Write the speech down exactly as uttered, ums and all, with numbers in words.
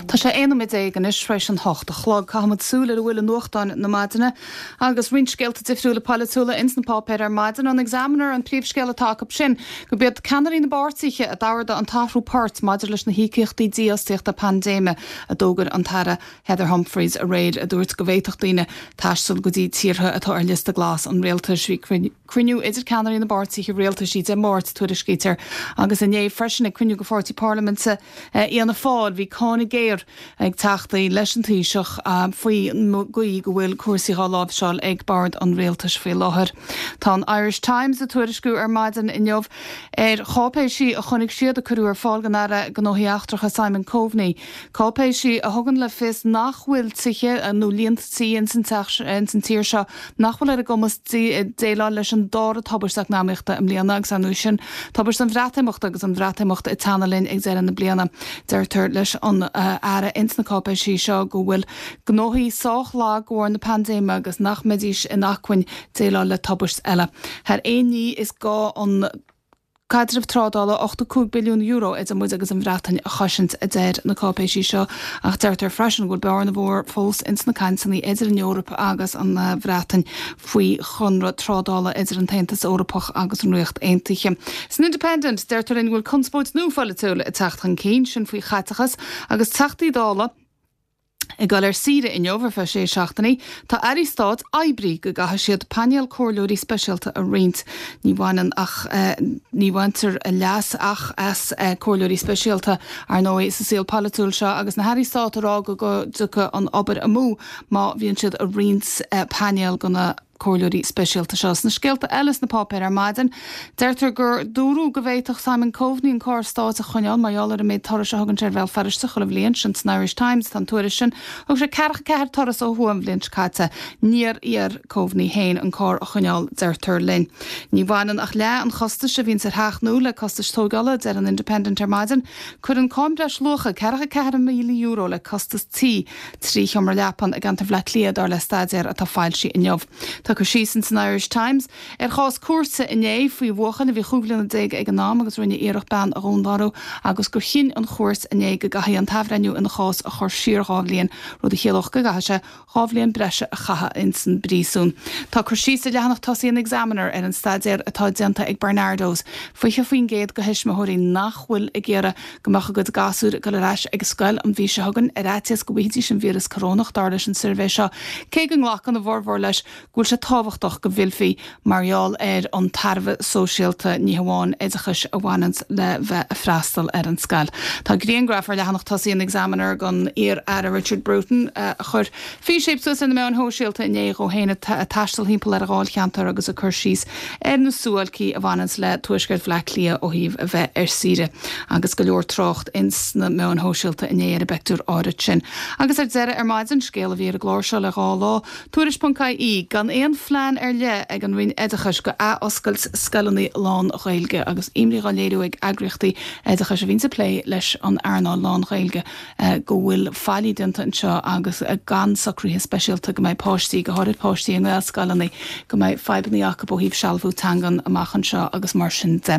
Tá sé aon nóiméad déag anois tar éis an hocht a chlog. Caithfimid súil ar a bhfuil i nuachtáin na maidine agus roinnt scéalta difriúla polaitiúla ins na páipéir ar maidin an Examiner an príomhscéal atá acu sin gurb iad ceannairí na bpáirtithe a d'ardaigh an t-athrú poirt maidir leis na híocaíochtaí dífhostaíochta paindéime a d'fhógair an tAire Heather Humphreys aréir a dúirt go bhféadfadh daoine taisteal go dtí tíortha atá ar liosta glas an rialtais bhí cruinniú idir ceannairí na bpáirtithe rialtais Dé Máirt tuairiscítear agus inné freisin ag cruinniú de pháirtí parlaiminte Fhianna Fáil bhí cáineadh géar ag teachtaí leis an Taoiseach faoi gcaoi go bhfuil cúrsaí á láimhseáil ag bord an rialtais faoi láthair. Tá an Irish Times ag tuairisciú ar maidin inniu ar cháipéisí a chonaic siad a cuireadh ar fáil don Aire Gnóthaí Eachtracha Simon Coveney. Cáipéisí a thugann le fios nach bhfuil tithe nó líonta tí in san tír seo nach bhfuil ar a gcumas déileáil leis an dara tubaiste eacnamaíochta i mbliana agus an sin tubaiste an Bhreatimeachta agus an Bhreatimeacht ag teannadh linn ag deireadh na bliana. Deirtear leis an Aire ins na cáipéisí seo go bhfuil gnóthaí sách lag de bharr na paindéime agus nach mbeidís in acmhainn déileáil le tubaist eile. Thar aon ní is gá an caidreamh trádála ochtó cúig billiún euro idir muid agus an Bhreatain a chosaint a deir na cáipéisí seo ach deirtear freisin go bhfuil bearna mhór fós ins na cainteanna idir an Eoraip agus an Bhreatain faoi chonradh trádála idir an tAontas Eorpach agus an Ríocht Aontaithe. San Independent deirtear linn go bhfuil conspóid nua pholaitiúil ag teacht chun cinn sin faoi chaiteachas agus Teachtaí Dála ag dul ar saoire inniu ar feadh sé seachtainí, tá airí stáit oibrithe go gcaithfidh siad painéal comhairleoirí speisialta a roinnt. Ní bhaineann ach ní bhaintear leas ach as comhairleoirí speisialta ar ndóigh sa saol polaitiúil seo agus na hairí stáit ag rá go dtiocfaidh an obair amú má bhíonn siad ag roinnt painéal go na comhairleoirí speisialta seo. Sna scéalta eile sna páipéir ar maidin, deirtear gur dúradh go bhféadfadh Simon Coveney an carr stáit a choinneáil mar gheall ar an méid turas a thugann sé ar Bhéal Feirste chuile bhliain sin san Irish Times tá an tuairisc sin. Thug sé ceathracha ceathair turas ó thuaidh an bhliain seo caite. Níor iarr Coveney féin an carr a choinneáil, deirtear linn. Ní bhaineann ach leath an chostais a bhíonns ar theach nua le costais tógála, deir an Independent ar maidin. Cuireann cáin breisluacha ceathracha ceathair míle euro le costas tí trí sheomra leapan i gceantar Bhaile Átha Cliath dar le staidéar atá foilsithe inniu. Tá cur síos in san Irish Times ar chás cúirte inné faoi bhuachaill a bhí chúig bliana déag ag an am agus rinne iarracht bean a dhúnmharú agus gur chinn an chúirt inné go gcaithfidh an t-athbhreithniú ina chás a chur siar dhá bhliain, rud a chiallódh go gcaithfidh sé dhá bhliain breise a chaitheamh ins an bpríosún. Tá cur síos ar leathanach tosaigh an Examiner ar an staidéar atá déanta ag Barnardos. Fiche faoin gcéad de thuismitheoirí nach bhfuil ag iarraidh go mbeadh a gcuid gasúir ag dul ar ais ag scoil an mhí seo chugainn ar fhaitíos go bhfaighidís an víreas corónach dar leis an suirbhé seo, cé go nglacann a bhformhór leis go bhfuil sé tábhachtach go bhfillfí mar gheall ar an tairbhe sóisialta, ní hamháin oideachais, a bhaineanns le bheith ag freastal ar an scoil. Tá grianghraf ar leathanach tosaigh an Examiner den iar-aire Richard Bruton a chuir físéip suas ar na meáin shóisialta inné dhó féin ag taisteal thimpeall ar a dháilcheantar agus ag cur síos ar na suáilcí a bhaineanns le tuaisceart Bhaile Átha Cliath ó thaobh a bheith ar saoire agus go leor trácht ins na meáin shóisialta inné ar an bpictiúr áirid sin. Agus ar deireadh ar maidin, scéal a bhí ar an gclár seo le dhá lá, Tuairisc.ie, Gan aon phlean ar leith ag an Roinn Oideachais go ath-oscailt scoileanna lán-Ghaeilge agus imní á léiriú ag eagraíochtaí oideachais a bhíonns ag plé leis an earnáil lán-Ghaeilge go bhfuil faillí déanta anseo agus gan socruithe speisialta go mbeidh páistí, go háirid páistí i nGaelscoileanna, go mbeidh fadhbanna acu ó thaobh sealbhú teangan amach anseo agus mar sin de.